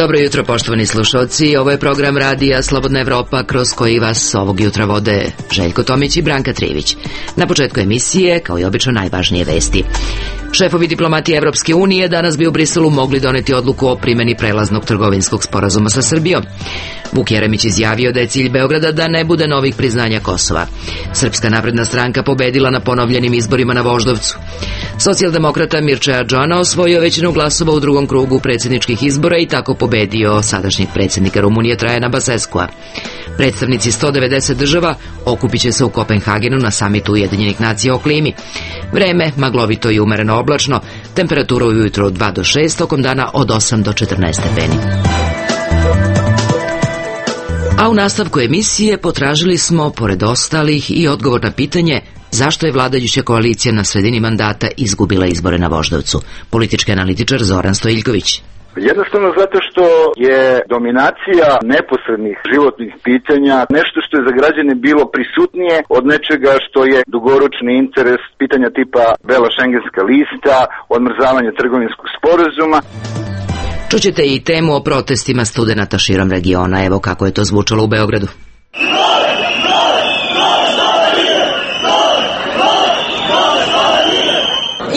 Dobro jutro, poštovani slušalci. Ovo je program radija Slobodna Evropa, kroz koji vas ovog jutra vode Željko Tomić i Branka Trivić. Na početku emisije, kao i obično, najvažnije vesti. Šefovi diplomatije Evropske unije danas bi u Briselu mogli doneti odluku o primjeni prelaznog trgovinskog sporazuma sa Srbijom. Vuk Jeremić izjavio da je cilj Beograda da ne bude novih priznanja Kosova. Srpska napredna stranka pobedila na ponovljenim izborima na Voždovcu. Socijaldemokrata Mirča Adžana osvojio većinu glasova u drugom krugu predsjedničkih izbora i tako pobedio sadašnjeg predsjednika Rumunije Trajana Baseskua. Predstavnici 190 država okupit će se u Kopenhagenu na samitu Ujedinjenih nacija o klimi. Vreme maglovito i umereno oblačno, temperatura ujutro od 2 do 6, tokom dana od 8 do 14 stepeni. A u nastavku emisije potražili smo, pored ostalih, i odgovor na pitanje zašto je vladajuća koalicija na sredini mandata izgubila izbore na Voždovcu. Politički analitičar Zoran Stojiljković. Jednostavno zato što je dominacija neposrednih životnih pitanja nešto što je za građane bilo prisutnije od nečega što je dugoročni interes, pitanja tipa bela šengenska lista, odmrzavanja trgovinskog sporazuma. Čućete i temu o protestima studenata širom regiona. Evo kako je to zvučalo u Beogradu.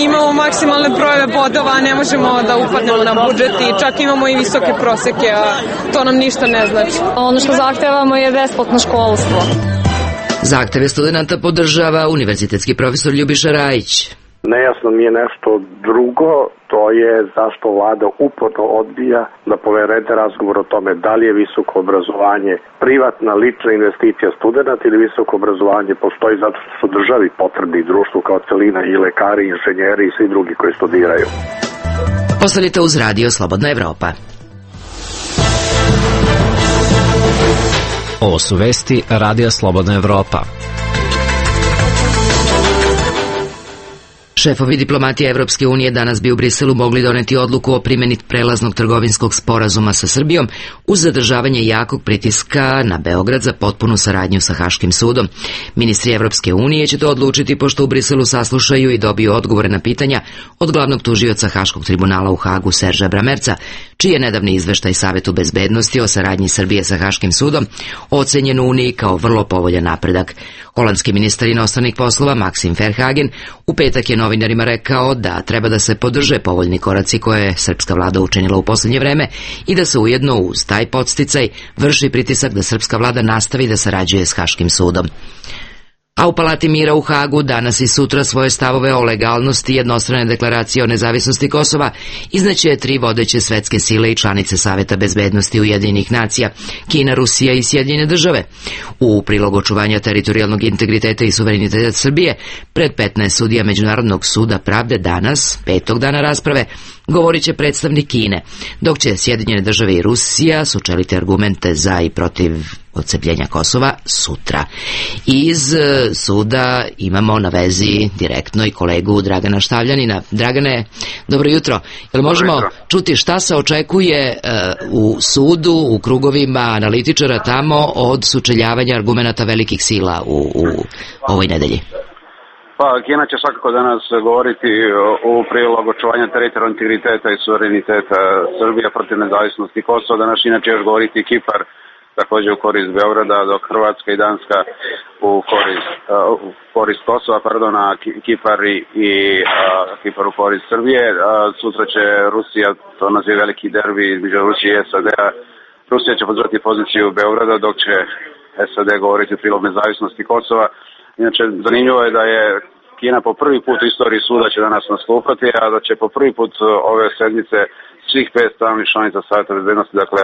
Imamo maksimalne brojeve bodova, ne možemo da upadnemo na budžet i čak imamo i visoke proseke, a to nam ništa ne znači. Ono što zahtevamo je besplatno školstvo. Zahteve studenta podržava univerzitetski profesor Ljubiša Rajić. Nejasno mi je nešto drugo, to je zašto vlada uporno odbija da povedete razgovor o tome da li je visoko obrazovanje privatna, lična investicija studenta ili visoko obrazovanje postoji zato što su državi potrebni društvu kao celina i lekari, inženjeri i svi drugi koji studiraju. Ostanite uz radio Slobodna Evropa. Ovo su vesti radija Slobodna Evropa. Šefovi diplomatije Evropske unije danas bi u Briselu mogli doneti odluku o primjeni prelaznog trgovinskog sporazuma sa Srbijom uz zadržavanje jakog pritiska na Beograd za potpunu saradnju sa Haškim sudom. Ministri Evropske unije će to odlučiti pošto u Briselu saslušaju i dobiju odgovore na pitanja od glavnog tužioca Haškog tribunala u Hagu Serža Bramerca, čiji je nedavni izveštaj Savetu bezbednosti o saradnji Srbije sa Haškim sudom ocenjen u Uniji kao vrlo povoljan napredak. Holandski ministar inostranih poslova Maxim Verhagen u petak je novinarima rekao da treba da se podrže povoljni koraci koje je srpska vlada učinila u posljednje vreme i da se ujedno uz taj podsticaj vrši pritisak da srpska vlada nastavi da sarađuje s Haškim sudom. A u Palati mira u Hagu danas i sutra svoje stavove o legalnosti jednostrane deklaracije o nezavisnosti Kosova izneće 3 vodeće svetske sile i članice Saveta bezbednosti Ujedinjenih nacija, Kina, Rusija i Sjedinjene države. U prilog očuvanja teritorijalnog integriteta i suvereniteta Srbije pred 15 sudija Međunarodnog suda pravde danas, 5. dana rasprave, govorit će predstavnik Kine, dok će Sjedinjene države i Rusija sučeliti argumente za i protiv odcepljenja Kosova sutra. Iz suda imamo na vezi direktno i kolegu Dragana Štavljanina. Dragane, dobro jutro. Jel možemo čuti šta se očekuje u sudu, u krugovima analitičara tamo od sučeljavanja argumenata velikih sila u ovoj nedelji? Pa, Kina će svakako danas govoriti u prilog očuvanja teritorijalnog integriteta i suvereniteta Srbije protiv nezavisnosti Kosova. Danas inače još govoriti Kipar, također u korist Beograda, dok Hrvatska i Danska u korist Kosova, a Kipar u korist Srbije. Sutra će Rusija, to naziva veliki derbi između Rusije i SAD-a. Rusija će podržati poziciju Beograda, dok će SAD govoriti u prilog nezavisnosti Kosova. Inače, zanimljivo je da je Kina po prvi put u istoriji suda će danas nastupati, a da će po prvi put ove sedmice svih 5 stalnih članica Saveta bezbednosti, dakle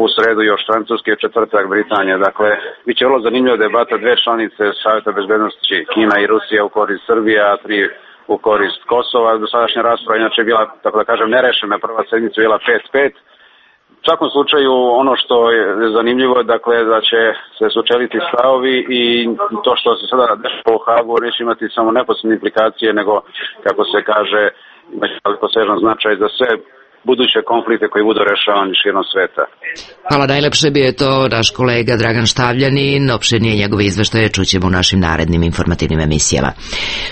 u sredu još Francuske, četvrtak Britanija. Dakle, bit će vrlo zanimljiva debata 2 članice Saveta bezbednosti, Kina i Rusija u korist Srbije, a 3 u korist Kosova. Dosadašnja rasprava inače bila, tako da kažem, nerešena, prva sedmica bila 5-5. U svakom slučaju, ono što je zanimljivo je dakle, da će se sučeliti stavovi i to što se sada dešava u Hagu neće imati samo neposredne implikacije, nego, kako se kaže, imaće posežan značaj za sve buduće konflikte koji budu rešavani širom sveta. Hvala, najlepše bi je to naš kolega Dragan Štavljanin. Opširnije njegove izveštaje čućemo u našim narednim informativnim emisijama.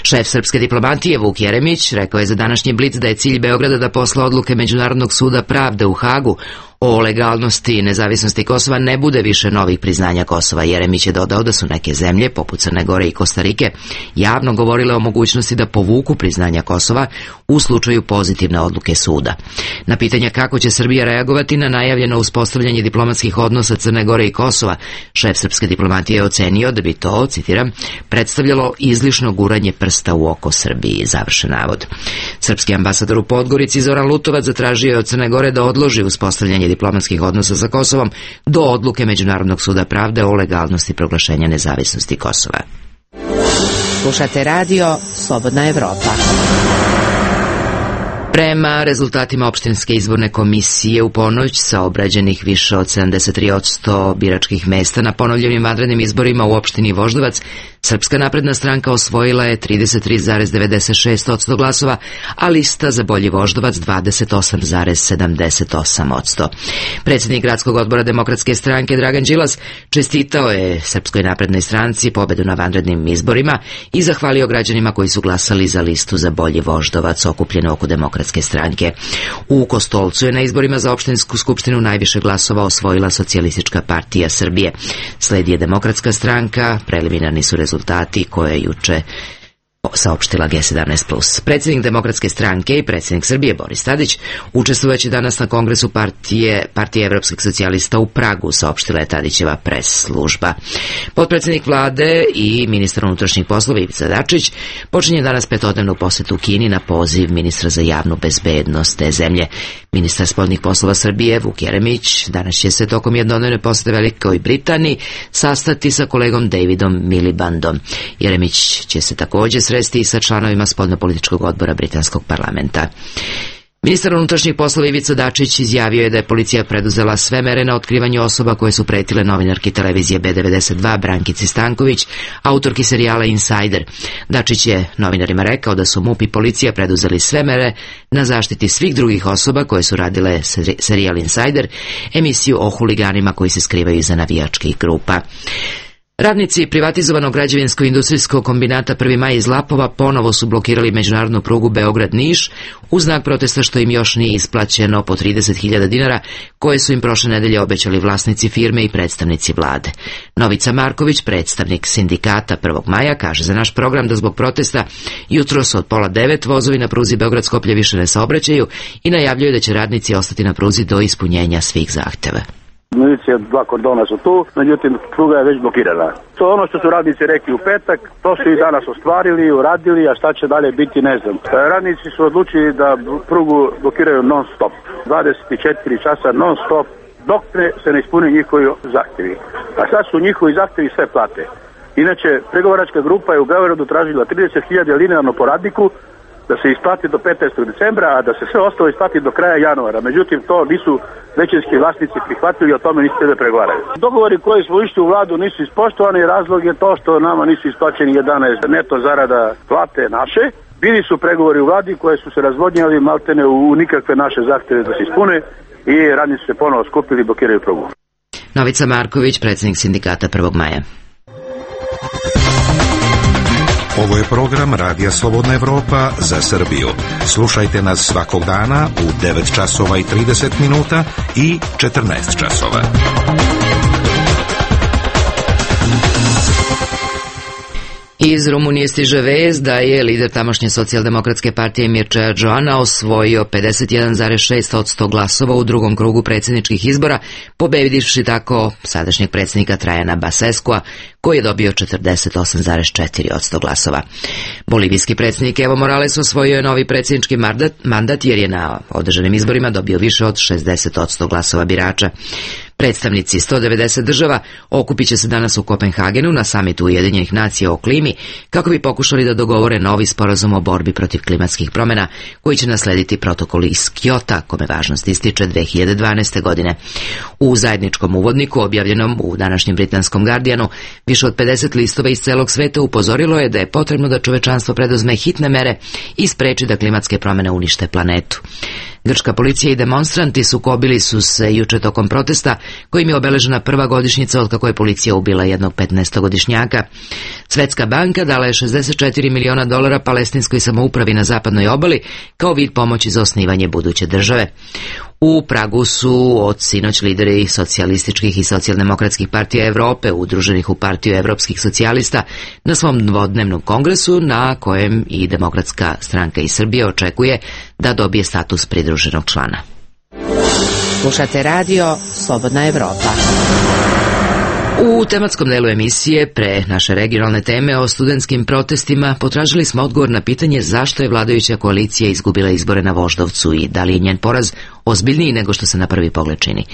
Šef srpske diplomatije Vuk Jeremić rekao je za današnji Blic da je cilj Beograda da posle odluke Međunarodnog suda pravde u Hagu o legalnosti i nezavisnosti Kosova ne bude više novih priznanja Kosova. Jeremić je dodao da su neke zemlje, poput Crne Gore i Kostarike, javno govorile o mogućnosti da povuku priznanja Kosova u slučaju pozitivne odluke suda. Na pitanja kako će Srbija reagovati na najavljeno uspostavljanje diplomatskih odnosa Crne Gore i Kosova, šef srpske diplomatije je ocenio da bi to, citiram, predstavljalo izlišno guranje prsta u oko Srbiji, završen navod. Srpski ambasador u Podgorici Zoran Lutovac zatražio je od Crne Gore da odloži uspostavljanje diplomatskih odnosa sa Kosovom do odluke Međunarodnog suda pravde o legalnosti proglašenja nezavisnosti Kosova. Slušate radio Slobodna Evropa. Prema rezultatima opštinske izborne komisije u ponoć sa obrađenih više od 73% biračkih mesta na ponovljenim vanrednim izborima u opštini Voždovac, Srpska napredna stranka osvojila je 33,96% glasova, a lista za bolji Voždovac 28,78%. Predsjednik gradskog odbora Demokratske stranke Dragan Đilas čestitao je Srpskoj naprednoj stranci pobedu na vanrednim izborima i zahvalio građanima koji su glasali za listu za bolji Voždovac okupljenu oko Demokratske stranke. U Kostolcu je na izborima za opštinsku skupštinu najviše glasova osvojila Socijalistička partija Srbije. Sledi je Demokratska stranka, preliminarni su rezultati koje je juče saopštila G17+. Predsjednik Demokratske stranke i predsjednik Srbije Boris Tadić učestvujući danas na kongresu partije evropskih socijalista u Pragu, saopštila je Tadićeva pres služba. Potpredsjednik vlade i ministar unutrašnjih poslova Ivica Dačić počinje danas petodnevnu posetu Kini na poziv ministra za javnu bezbednost te zemlje. Ministar spoljnih poslova Srbije Vuk Jeremić danas će se tokom jednodnevne posete Velikoj Britaniji sastati sa kolegom Davidom Milibandom. Jeremić će se također sresti i sa članovima spoljnopolitičkog odbora britanskog parlamenta. Ministar unutrašnjih poslova Ivica Dačić izjavio je da je policija preduzela sve mere na otkrivanju osoba koje su pretile novinarki televizije B92 Brankici Stanković, autorki serijala Insider. Dačić je novinarima rekao da su MUP i policija preduzeli sve mere na zaštiti svih drugih osoba koje su radile serijal Insider, emisiju o huliganima koji se skrivaju iza navijačkih grupa. Radnici privatizovanog građevinsko-industrijskog kombinata 1. maj iz Lapova ponovo su blokirali međunarodnu prugu Beograd-Niš u znak protesta što im još nije isplaćeno po 30.000 dinara koje su im prošle nedelje obećali vlasnici firme i predstavnici vlade. Novica Marković, predstavnik sindikata 1. maja, kaže za naš program da zbog protesta jutros od 8:30 vozovi na pruzi Beograd-Skoplje više ne saobraćaju i najavljuju da će radnici ostati na pruzi do ispunjenja svih zahteva. Milicija, 2 kordona su tu, međutim pruga je već blokirana. To je ono što su radnici rekli u petak, to su i danas ostvarili, uradili, a šta će dalje biti ne znam. Radnici su odlučili da prugu blokiraju non stop, 24 časa non stop, dok se ne ispune njihovi zahtjevi. A sad su njihovi zahtjevi sve plate. Inače, pregovaračka grupa je u Beogradu tražila 30.000 linearno po radniku, da se isplati do 15. decembra, a da se sve ostalo isplati do kraja januara. Međutim, to nisu većinski vlasnici prihvatili i o tome nisu da pregovaraju. Dogovori koji smo išli u vladu nisu ispoštovani, razlog je to što nama nisu isplaćeni 11 neto zarada plate naše. Bili su pregovori u vladi koje su se razvodnjali maltene u nikakve naše zahtjeve da se ispune i radnici se ponovo skupili i blokiraju prugu. Novica Marković, predsjednik sindikata 1. maja. Ovo je program Radija Slobodna Evropa za Srbiju. Slušajte nas svakog dana u 9 časova i 30 minuta i 14 časova. Iz Rumunije stiže vest da je lider tamošnje socijaldemokratske partije Mircea Joana osvojio 51,6% glasova u drugom krugu predsjedničkih izbora, pobedivši tako sadašnjeg predsjednika Trajana Baseskua, koji je dobio 48,4% glasova. Bolivijski predsjednik Evo Morales osvojio je novi predsjednički mandat jer je na održanim izborima dobio više od 60% glasova birača. Predstavnici 190 država okupit će se danas u Kopenhagenu na samitu Ujedinjenih nacija o klimi kako bi pokušali da dogovore novi sporazum o borbi protiv klimatskih promjena koji će naslediti protokol iz Kyota, kome važnost ističe 2012. godine. U zajedničkom uvodniku objavljenom u današnjem britanskom Guardianu više od 50 listova iz celog sveta upozorilo je da je potrebno da čovečanstvo preduzme hitne mere i spreči da klimatske promjene unište planetu. Grčka policija i demonstranti sukobili su se juče tokom protesta kojim je obeležena prva godišnjica od kako je policija ubila jednog 15-godišnjaka. Svetska banka dala je $64 miliona palestinskoj samoupravi na zapadnoj obali kao vid pomoći za osnivanje buduće države. U Pragu su od sinoć lideri socijalističkih i socijaldemokratskih partija Evrope, udruženih u Partiju evropskih socijalista, na svom dvodnevnom kongresu, na kojem i Demokratska stranka iz Srbije očekuje da dobije status pridruženog člana. Slušate radio Slobodna Evropa. U tematskom delu emisije, pre naše regionalne teme o studentskim protestima, potražili smo odgovor na pitanje zašto je vladajuća koalicija izgubila izbore na Voždovcu i da li je njen poraz ozbiljniji nego što se na prvi pogled čini.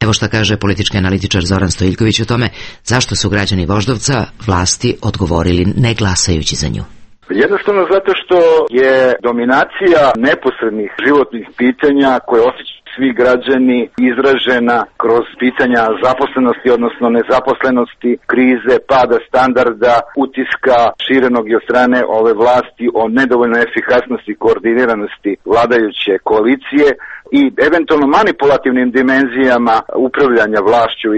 Evo šta kaže politički analitičar Zoran Stojiljković o tome zašto su građani Voždovca vlasti odgovorili ne glasajući za nju. Jednostavno zato što je dominacija neposrednih životnih pitanja koje osjećaju svi građani izražena kroz pitanja zaposlenosti, odnosno nezaposlenosti, krize, pada standarda, utiska širenog i od strane ove vlasti o nedovoljnoj efikasnosti i koordiniranosti vladajuće koalicije i eventualno manipulativnim dimenzijama upravljanja vlašću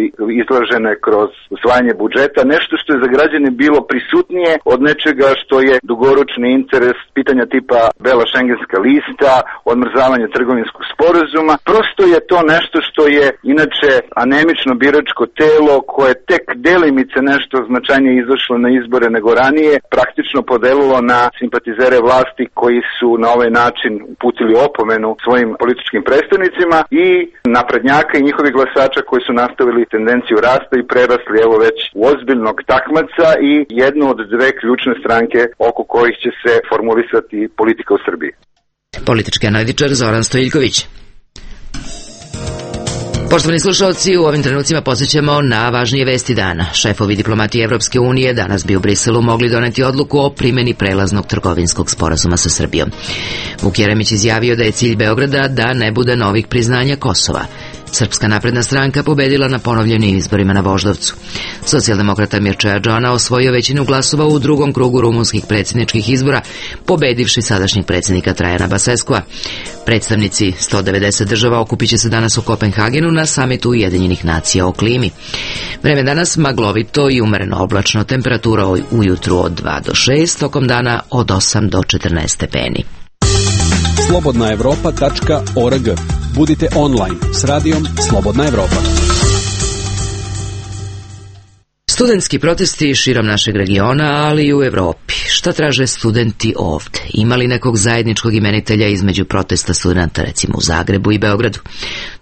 izražene kroz usvajanje budžeta, nešto što je za građane bilo prisutnije od nečega što je dugoročni interes, pitanja tipa bela šengenska lista, odmrzavanje trgovinskog sporazuma. Prosto je to nešto što je inače anemično biračko telo koje tek delimice nešto značajnije izašlo na izbore nego ranije, praktično podelilo na simpatizere vlasti koji su na ovaj način uputili opomenu svojim političkim predstavnicima i naprednjaka i njihovih glasača koji su nastavili tendenciju rasta i prerasli evo već u ozbiljnog takmaca i jednu od dve ključne stranke oko kojih će se formulisati politika u Srbiji. Politički analitičar Zoran Stojiljković. Poštovani slušalci, u ovim trenucima podsjećamo na važnije vesti dana. Šefovi diplomatije Evropske unije danas bi u Briselu mogli doneti odluku o primjeni prelaznog trgovinskog sporazuma sa Srbijom. Vuk Jeremić izjavio da je cilj Beograda da ne bude novih priznanja Kosova. Srpska napredna stranka pobedila na ponovljenim izborima na Voždovcu. Socijaldemokrata Mirčea Džona osvojio većinu glasova u drugom krugu rumunskih predsjedničkih izbora, pobedivši sadašnjeg predsjednika Trajana Baseskova. Predstavnici 190 država okupit će se danas u Kopenhagenu na samitu Ujedinjenih nacija o klimi. Vreme danas maglovito i umereno oblačno, temperatura ujutru od 2 do 6, tokom dana od 8 do 14 stepeni. slobodnaevropa.org. Budite online s radijom Slobodna Evropa. Studentski protesti širom našeg regiona, ali i u Evropi. Šta traže studenti ovde? Ima li nekog zajedničkog imenitelja između protesta studenta, recimo u Zagrebu i Beogradu?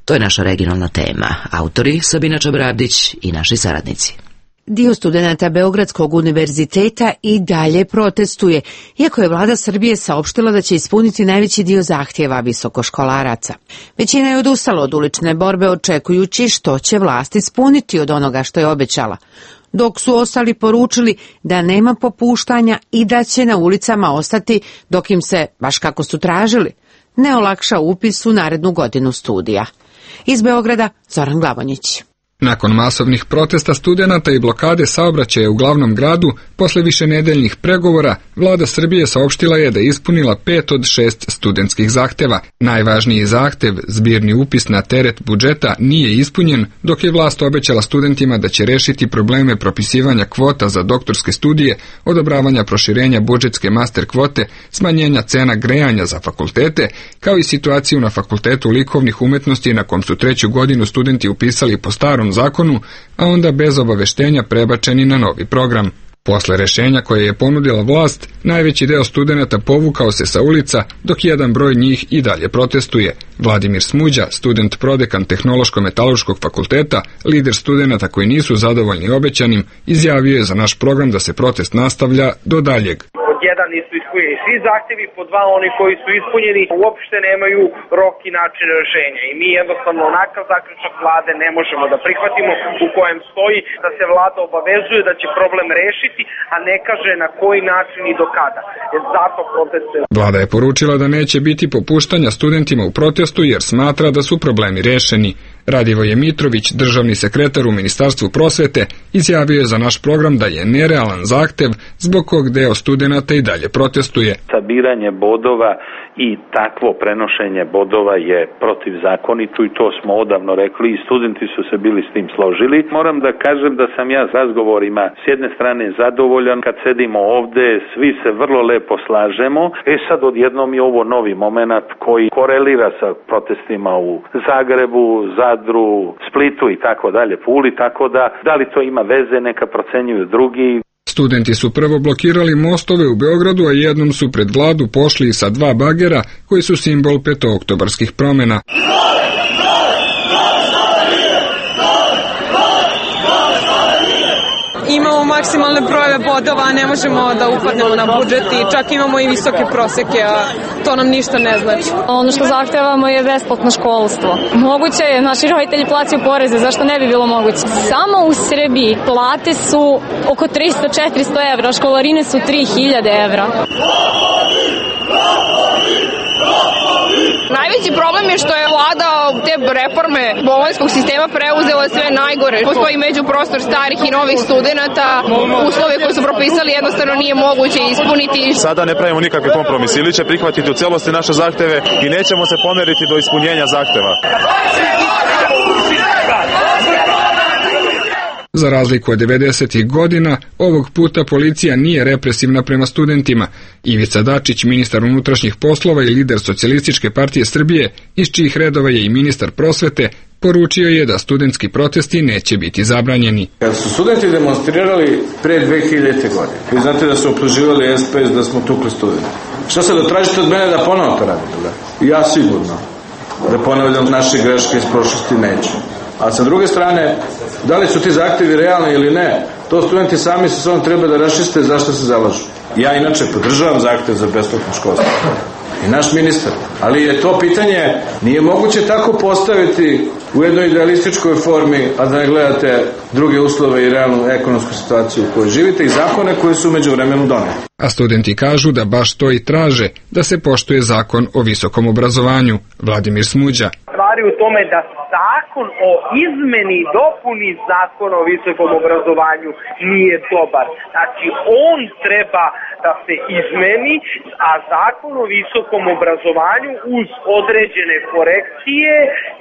To je naša regionalna tema. Autori Sabina Čabrabdić i naši saradnici. Dio studenata Beogradskog univerziteta i dalje protestuje, iako je vlada Srbije saopštila da će ispuniti najveći dio zahtjeva visokoškolaraca. Većina je odustala od ulične borbe očekujući što će vlast ispuniti od onoga što je obećala, dok su ostali poručili da nema popuštanja i da će na ulicama ostati dok im se, baš kako su tražili, ne olakša upis u narednu godinu studija. Iz Beograda Zoran Glavonjić. Nakon masovnih protesta studenata i blokade saobraćaja u glavnom gradu, posle višenedeljnih pregovora, vlada Srbije saopštila je da je ispunila 5 od 6 studentskih zahteva. Najvažniji zahtev, zbirni upis na teret budžeta, nije ispunjen, dok je vlast obećala studentima da će rešiti probleme propisivanja kvota za doktorske studije, odobravanja proširenja budžetske master kvote, smanjenja cena grejanja za fakultete, kao i situaciju na Fakultetu likovnih umetnosti na kom su 3. godinu studenti upisali po starom zakonu, a onda bez obaveštenja prebačeni na novi program. Posle rešenja koje je ponudila vlast, najveći deo studenata povukao se sa ulica, dok jedan broj njih i dalje protestuje. Vladimir Smuđa, student prodekan Tehnološko-metaloškog fakulteta, lider studenata koji nisu zadovoljni obećanim, izjavio je za naš program da se protest nastavlja do daljeg. Jedan nisu ispunjeni svi zahtjevi, po dva oni koji su ispunjeni uopšte nemaju rok i način rešenja. I mi jednostavno onakav zaključak vlade ne možemo da prihvatimo u kojem stoji da se vlada obavezuje da će problem rešiti, a ne kaže na koji način i do kada. Zato proteste. Vlada je poručila da neće biti popuštanja studentima u protestu jer smatra da su problemi rešeni. Radivoje Mitrović, državni sekretar u Ministarstvu prosvete, izjavio je za naš program da je nerealan zahtev zbog kog deo studenata i dalje protestuje. Sabiranje bodova i takvo prenošenje bodova je protivzakonito i to smo odavno rekli i studenti su se bili s tim složili. Moram da kažem da sam ja s razgovorima s jedne strane zadovoljan, kad sedimo ovde svi se vrlo lepo slažemo. Sad odjednom je ovo novi moment koji korelira sa protestima u Zagrebu, Zadru, Splitu i tako dalje, Puli, tako da li to ima veze neka procenjuju drugi. Studenti su prvo blokirali mostove u Beogradu, a jednom su pred vladu pošli sa 2 bagera koji su simbol petooktobarskih promena. Imamo maksimalne brojeve bodova, a ne možemo da upadnemo na budžet i čak imamo i visoke proseke, a to nam ništa ne znači. Ono što zahtevamo je besplatno školstvo. Moguće je, naši roditelji plaćaju poreze, zašto ne bi bilo moguće? Samo u Srbiji plate su oko 300-400 evra, školarine su 3000 evra. Najveći problem je što je vlada te reforme bolonjskog sistema preuzela sve najgore. Postoji međuprostor starih i novih studenata, uslove koje su propisali jednostavno nije moguće ispuniti. Sada ne pravimo nikakve kompromise, ili će prihvatiti u celosti naše zahteve i nećemo se pomeriti do ispunjenja zahteva. Za razliku od 90-ih godina, ovog puta policija nije represivna prema studentima. Ivica Dačić, ministar unutrašnjih poslova i lider Socijalističke partije Srbije, iz čijih redova je i ministar prosvete, poručio je da studentski protesti neće biti zabranjeni. Kad su studenti demonstrirali pre 2000. godine, vi znate da su optuživali SPS da smo tukli studenti. Šta se da tražite od mene da ponovo to radite? Da? Ja sigurno da ponavljam naše greške iz prošlosti neću. A sa druge strane, da li su ti zahtevi realni ili ne, to studenti sami sa sobom treba da raščiste zašto se zalažu. Ja inače podržavam zahtev za besplatno školstvo. I naš ministar. Ali je to pitanje, nije moguće tako postaviti u jednoj idealističkoj formi, a da ne gledate druge uslove i realnu ekonomsku situaciju u kojoj živite i zakone koje su umeđu vremenu doneli. A studenti kažu da baš to i traže, da se poštuje zakon o visokom obrazovanju. Vladimir Smuđa. Stvari u tome da zakon o izmeni i dopuni zakona o visokom obrazovanju nije dobar. Znači, on treba da se izmeni, a zakon o visokom obrazovanju uz određene korekcije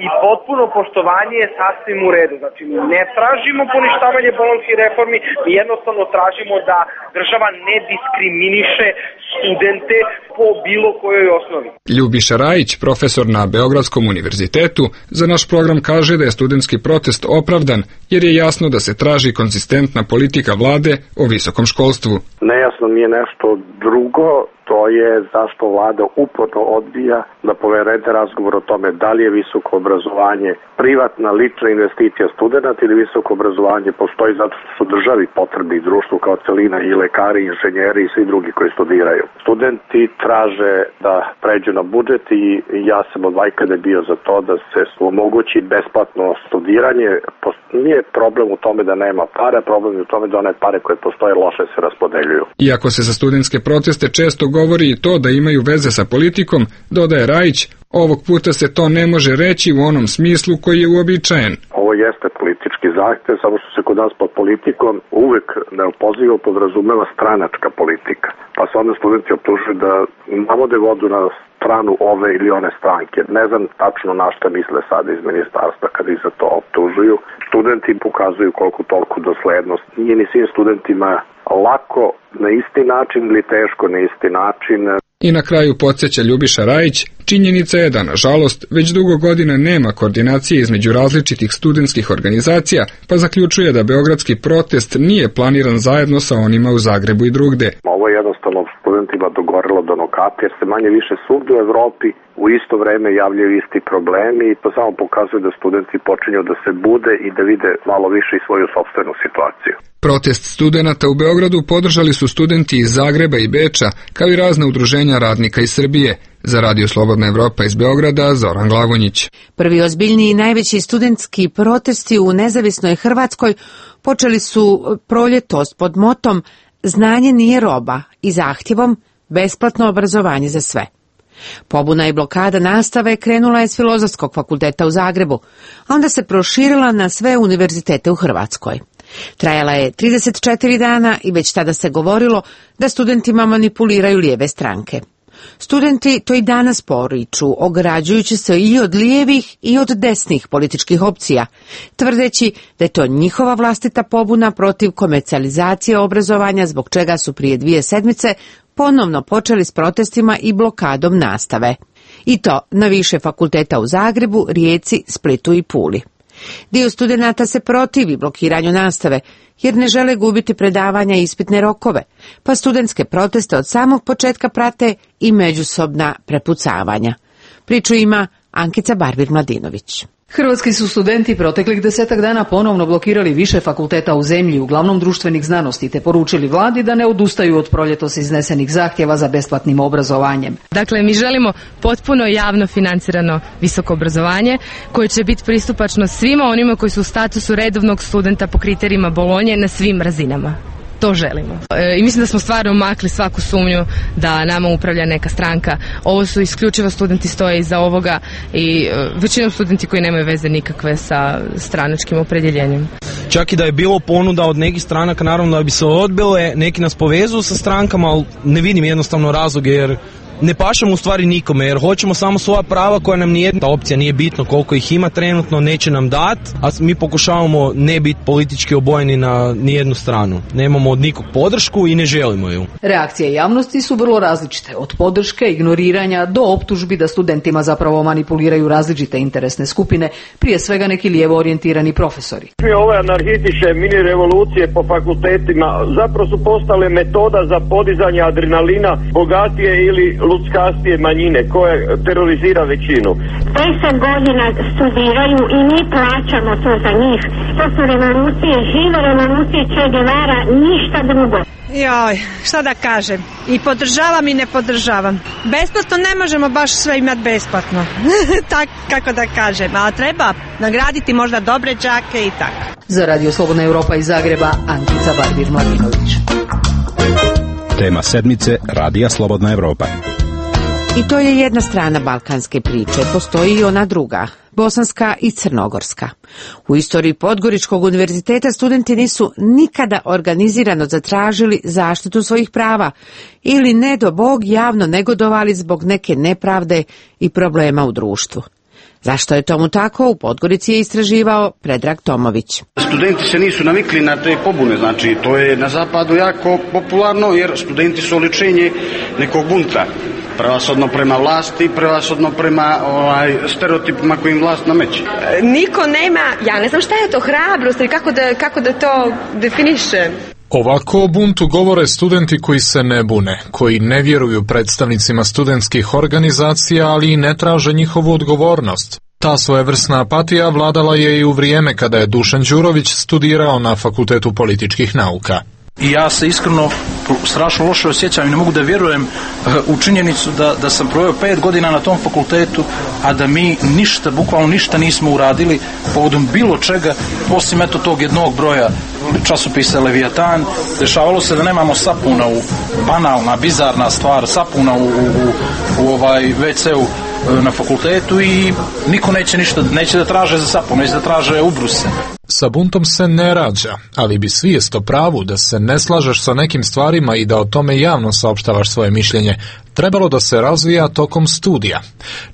i potpuno poštovanje je sasvim u redu. Znači, mi ne tražimo poništavanje bolonjskih reformi, mi jednostavno tražimo da država ne diskriminiše studente po bilo kojoj osnovi. Ljubiša Rajić, profesor na Beogradskom univerzitetu, za naš program kaže da je studentski protest opravdan, jer je jasno da se traži konzistentna politika vlade o visokom školstvu. Nejasno mi je nešto drugo, to je zašto vlada uporno odbija da povede razgovor o tome da li je visoko obrazovanje privatna lična investicija studenta ili visoko obrazovanje postoji zato što su državi potrebi i društvu kao celina i lekari, inženjeri i svi drugi koji studiraju. Studenti traže da pređu na budžet i ja sam od vajkada bio za to da se omogući besplatno studiranje. Nije problem u tome da nema pare, problem je u tome da one pare koje postoje loše se raspodeljuju. Iako se za studentske proteste često govori i to da imaju veze sa politikom, dodaje Rajić, ovog puta se to ne može reći u onom smislu koji je uobičajen. Ovo jeste politički zahtev, samo što se kod nas pod politikom uvek neopozivo podrazumeva stranačka politika. Pa se onda studenti optužuju da navode vodu na stranu ove ili one stranke. Ne znam tačno na šta misle sada iz ministarstva kad ih za to optužuju. Studenti pokazuju koliko toliko doslednost. Nije ni svim studentima lako na isti način ili teško na isti način. I na kraju podsjeća Ljubiša Rajić, činjenica je da, nažalost, već dugo godina nema koordinacije između različitih studentskih organizacija, pa zaključuje da beogradski protest nije planiran zajedno sa onima u Zagrebu i drugde. Ovo je jednostavno studentima dogorilo do nokata, jer se manje više svugde u Evropi u isto vreme javljaju isti problemi i to samo pokazuje da studenti počinju da se bude i da vide malo više i svoju sopstvenu situaciju. Protest studenata u Beogradu podržali su studenti iz Zagreba i Beča, kao i razna udruženja radnika iz Srbije. Za Radio Slobodna Evropa iz Beograda, Zoran Glavonjić. Prvi ozbiljniji i najveći studentski protesti u nezavisnoj Hrvatskoj počeli su proljetos pod motom Znanje nije roba i zahtjevom besplatno obrazovanje za sve. Pobuna i blokada nastave krenula je s Filozofskog fakulteta u Zagrebu, a onda se proširila na sve univerzitete u Hrvatskoj. Trajala je 34 dana i već tada se govorilo da studentima manipuliraju lijeve stranke. Studenti to i danas poriču, ograđujući se i od lijevih i od desnih političkih opcija, tvrdeći da je to njihova vlastita pobuna protiv komercijalizacije obrazovanja, zbog čega su prije 2 sedmice ponovno počeli s protestima i blokadom nastave. I to na više fakulteta u Zagrebu, Rijeci, Splitu i Puli. Dio studenata se protivi blokiranju nastave, jer ne žele gubiti predavanja i ispitne rokove, pa studentske proteste od samog početka prate i međusobna prepucavanja. Priču ima Ankica Barbir-Mladinović. Hrvatski su studenti proteklih 10 dana ponovno blokirali više fakulteta u zemlji, uglavnom društvenih znanosti, te poručili vladi da ne odustaju od proljetos iznesenih zahtjeva za besplatnim obrazovanjem. Dakle, mi želimo potpuno javno financirano visoko obrazovanje koje će biti pristupačno svima onima koji su u statusu redovnog studenta po kriterijima Bolonje na svim razinama. To želimo. I mislim da smo stvarno makli svaku sumnju da nama upravlja neka stranka. Ovo su isključivo studenti stoje iza ovoga i većinom studenti koji nemaju veze nikakve sa stranačkim opredjeljenjem. Čak i da je bilo ponuda od nekih stranaka, naravno da bi se odbile, neki nas povezuju sa strankama, ali ne vidim jednostavno razloge jer ne pašemo u stvari nikome, jer hoćemo samo svoja prava koja nam nije, ta opcija nije bitno koliko ih ima trenutno, neće nam dati, a mi pokušavamo ne biti politički obojeni na nijednu stranu. Nemamo od nikog podršku i ne želimo ju. Reakcije javnosti su vrlo različite, od podrške, ignoriranja do optužbi da studentima zapravo manipuliraju različite interesne skupine, prije svega neki lijevo orijentirani profesori. Ove anarhističke mini revolucije po fakultetima zapravo su postale metoda za podizanje adrenalina bogatije ili luckastije manjine koje terorizira većinu. 10 godina studiraju i mi plaćamo to za njih. To su revolucije, žive revolucije Che Guevara, ništa drugo. Joj, šta da kažem, i podržavam i ne podržavam. Besplatno ne možemo baš sve imati besplatno, tak kako da kažem, ali treba nagraditi možda dobre đake i tako. Za Radio Slobodna Evropa iz Zagreba, Ankica Barbir-Mladinović. Tema sedmice Radija Slobodna Evropa. I to je jedna strana balkanske priče, postoji i ona druga, bosanska i crnogorska. U istoriji Podgoričkog univerziteta studenti nisu nikada organizirano zatražili zaštitu svojih prava ili ne do Bog javno negodovali zbog neke nepravde i problema u društvu. Zašto je tomu tako, u Podgorici je istraživao Predrag Tomović. Studenti se nisu navikli na te pobune, znači to je na zapadu jako popularno jer studenti su oličenje nekog bunta. Prevashodno prema vlasti, prevashodno prema stereotipima kojim vlast nameće. Niko nema, ja ne znam šta je to hrabrost ili kako da to definiše. Ovako o buntu govore studenti koji se ne bune, koji ne vjeruju predstavnicima studentskih organizacija, ali i ne traže njihovu odgovornost. Ta svojevrsna apatija vladala je i u vrijeme kada je Dušan Đurović studirao na Fakultetu političkih nauka. I ja se iskreno strašno loše osjećam i ne mogu da vjerujem u činjenicu da sam proveo 5 godina na tom fakultetu, a da mi ništa, bukvalno ništa nismo uradili povodom bilo čega, osim eto tog jednog broja časopisa Leviatan. Dešavalo se da nemamo sapuna, banalna, bizarna stvar, sapuna u WC-u na fakultetu i niko neće da traže za sapun, neće da traže ubruse. Sa buntom se ne rađa, ali bi svijest o pravu da se ne slažeš sa nekim stvarima i da o tome javno saopštavaš svoje mišljenje trebalo da se razvija tokom studija.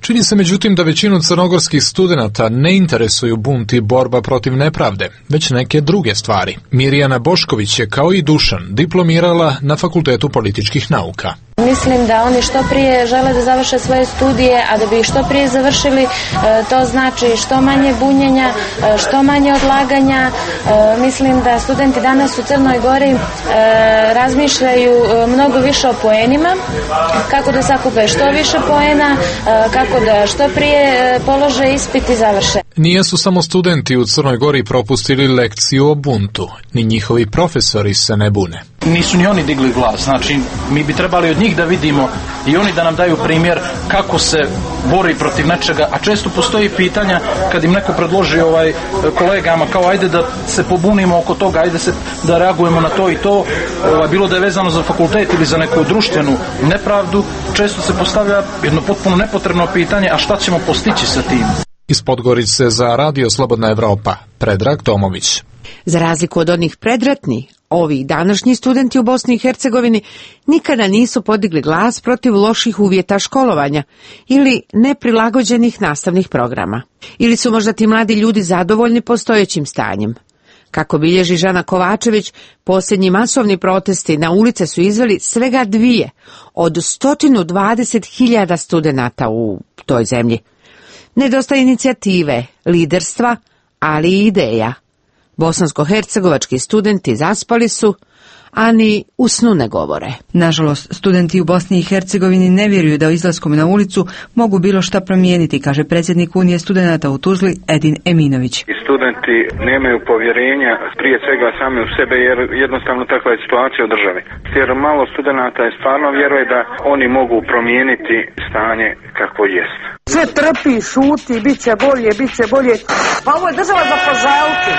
Čini se međutim da većinu crnogorskih studenata ne interesuju bunt i borba protiv nepravde, već neke druge stvari. Mirjana Bošković je kao i Dušan diplomirala na Fakultetu političkih nauka. Mislim da oni što prije žele da završe svoje studije, a da bi ih što prije završili, to znači što manje bunjenja, što manje odlaganja. Mislim da studenti danas u Crnoj Gori razmišljaju mnogo više o poenima, kako da sakupe što više poena, kako da što prije polože ispit i završe. Nijesu samo studenti u Crnoj Gori propustili lekciju o buntu, ni njihovi profesori se ne bune. Nisu ni oni digli glas, znači mi bi trebali od njih da vidimo i oni da nam daju primjer kako se bori protiv nečega, a često postoji pitanja kad im neko predloži kolegama kao ajde da se pobunimo oko toga, ajde da reagujemo na to i to, bilo da je vezano za fakultet ili za neku društvenu nepravdu, često se postavlja jedno potpuno nepotrebno pitanje, a šta ćemo postići sa tim? Iz Podgorice za Radio Slobodna Evropa, Predrag Tomović. Za razliku od onih predratnih, ovi današnji studenti u Bosni i Hercegovini nikada nisu podigli glas protiv loših uvjeta školovanja ili neprilagođenih nastavnih programa. Ili su možda ti mladi ljudi zadovoljni postojećim stanjem. Kako bilježi Žana Kovačević, posljednji masovni protesti na ulice su izveli svega 2 od 120.000 studenata u toj zemlji. Nedostaje inicijative, liderstva, ali i ideja. Bosansko-hercegovački studenti zaspali su, a ni u snu ne govore. Nažalost, studenti u Bosni i Hercegovini ne vjeruju da izlaskom na ulicu mogu bilo šta promijeniti, kaže predsjednik Unije studenata u Tuzli Edin Eminović. Studenti nemaju povjerenja prije svega sami u sebe jer jednostavno takva je situacija u državi. Jer malo studenata je stvarno vjeruje da oni mogu promijeniti stanje kakvo jest. Sve trpi, šuti, bit će bolje. Pa ovo je država za požaliti.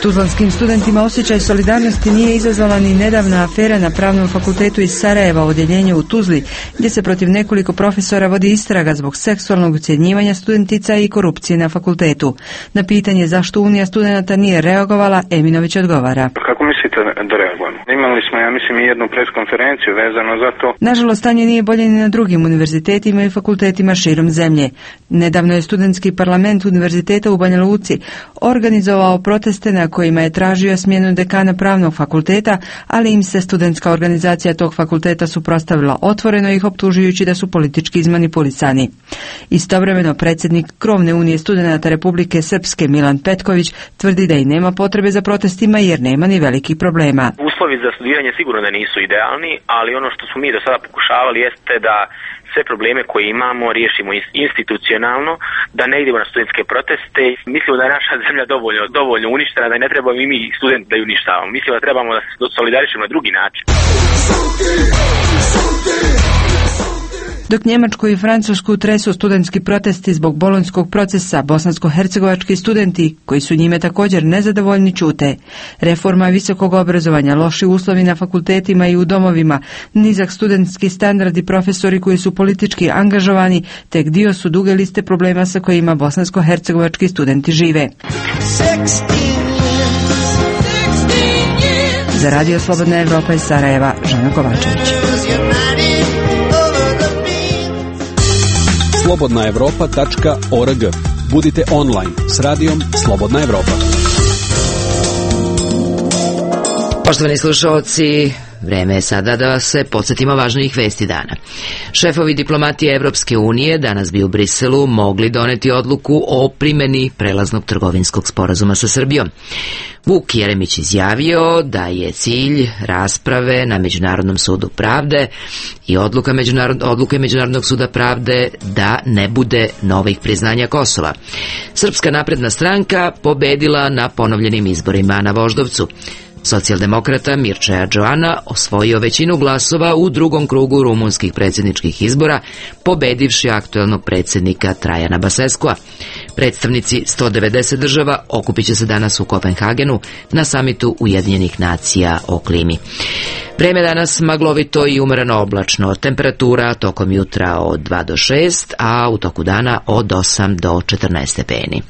Tuzlanskim studentima osjećaj solidarnosti nije izazvala ni nedavna afera na Pravnom fakultetu iz Sarajeva, odjeljenje u Tuzli, gdje se protiv nekoliko profesora vodi istraga zbog seksualnog ucjenjivanja studentica i korupcije na fakultetu. Na pitanje zašto Unija studenata nije reagovala, Eminović odgovara. Kako mislite da reagujemo? Imali smo, ja mislim, i jednu preskonferenciju vezano za to. Nažalost, stanje nije bolje ni na drugim univerzitetima i fakultetima širom zemlje. Nedavno je studentski parlament univerziteta u Banja Luci organizovao proteste na kojima je tražio smjenu dekana Pravnog fakulteta, ali im se studentska organizacija tog fakulteta suprotstavila otvoreno, ih optužujući da su politički izmanipulisani. Istovremeno predsjednik Krovne unije studenata Republike Srpske Milan Petković tvrdi da i nema potrebe za protestima jer nema ni velikih problema. Uslovi za studiranje sigurno da nisu idealni, ali ono što smo mi do sada pokušavali jeste da sve probleme koje imamo riješimo institucionalno, da ne idemo na studentske proteste. Mislimo da je naša zemlja dovoljno uništena, da ne trebamo i mi studenti da ju uništavamo. Mislimo da trebamo da se solidarišemo na drugi način. Dok Njemačku i Francusku tresu studentski protesti zbog bolonjskog procesa, bosansko-hercegovački studenti, koji su njime također nezadovoljni, ćute. Reforma visokog obrazovanja, loši uslovi na fakultetima i u domovima, nizak studentski standard i profesori koji su politički angažovani, tek dio su duge liste problema sa kojima bosansko-hercegovački studenti žive. Za Radio Slobodna Evropa iz Sarajeva, Žana Kovačević. slobodnaevropa.org. Budite online s radijom Slobodna Evropa. Poštovani slušalci, vreme je sada da se podsjetimo važnijih vesti dana. Šefovi diplomatije Evropske unije danas bi u Briselu mogli doneti odluku o primjeni prelaznog trgovinskog sporazuma sa Srbijom. Vuk Jeremić izjavio da je cilj rasprave na Međunarodnom sudu pravde i odluke Međunarodnog suda pravde da ne bude novih priznanja Kosova. Srpska napredna stranka pobedila na ponovljenim izborima na Voždovcu. Socijaldemokrata Mircea Joana osvojio većinu glasova u drugom krugu rumunskih predsjedničkih izbora, pobedivši aktuelnog predsjednika Trajana Baseskua. Predstavnici 190 država okupit će se danas u Kopenhagenu na samitu Ujedinjenih nacija o klimi. Vreme danas maglovito i umereno oblačno, temperatura tokom jutra od 2 do 6, a u toku dana od 8 do 14 stepeni.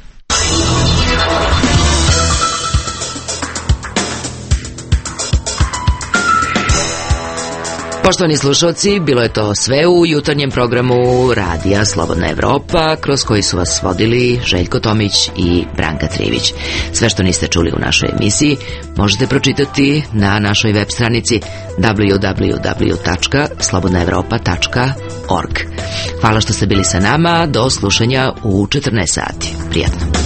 Poštovani slušalci, bilo je to sve u jutarnjem programu Radija Slobodna Evropa, kroz koji su vas vodili Željko Tomić i Branka Trivić. Sve što niste čuli u našoj emisiji možete pročitati na našoj web stranici www.slobodnaevropa.org. Hvala što ste bili sa nama, do slušanja u 14 sati. Prijatno.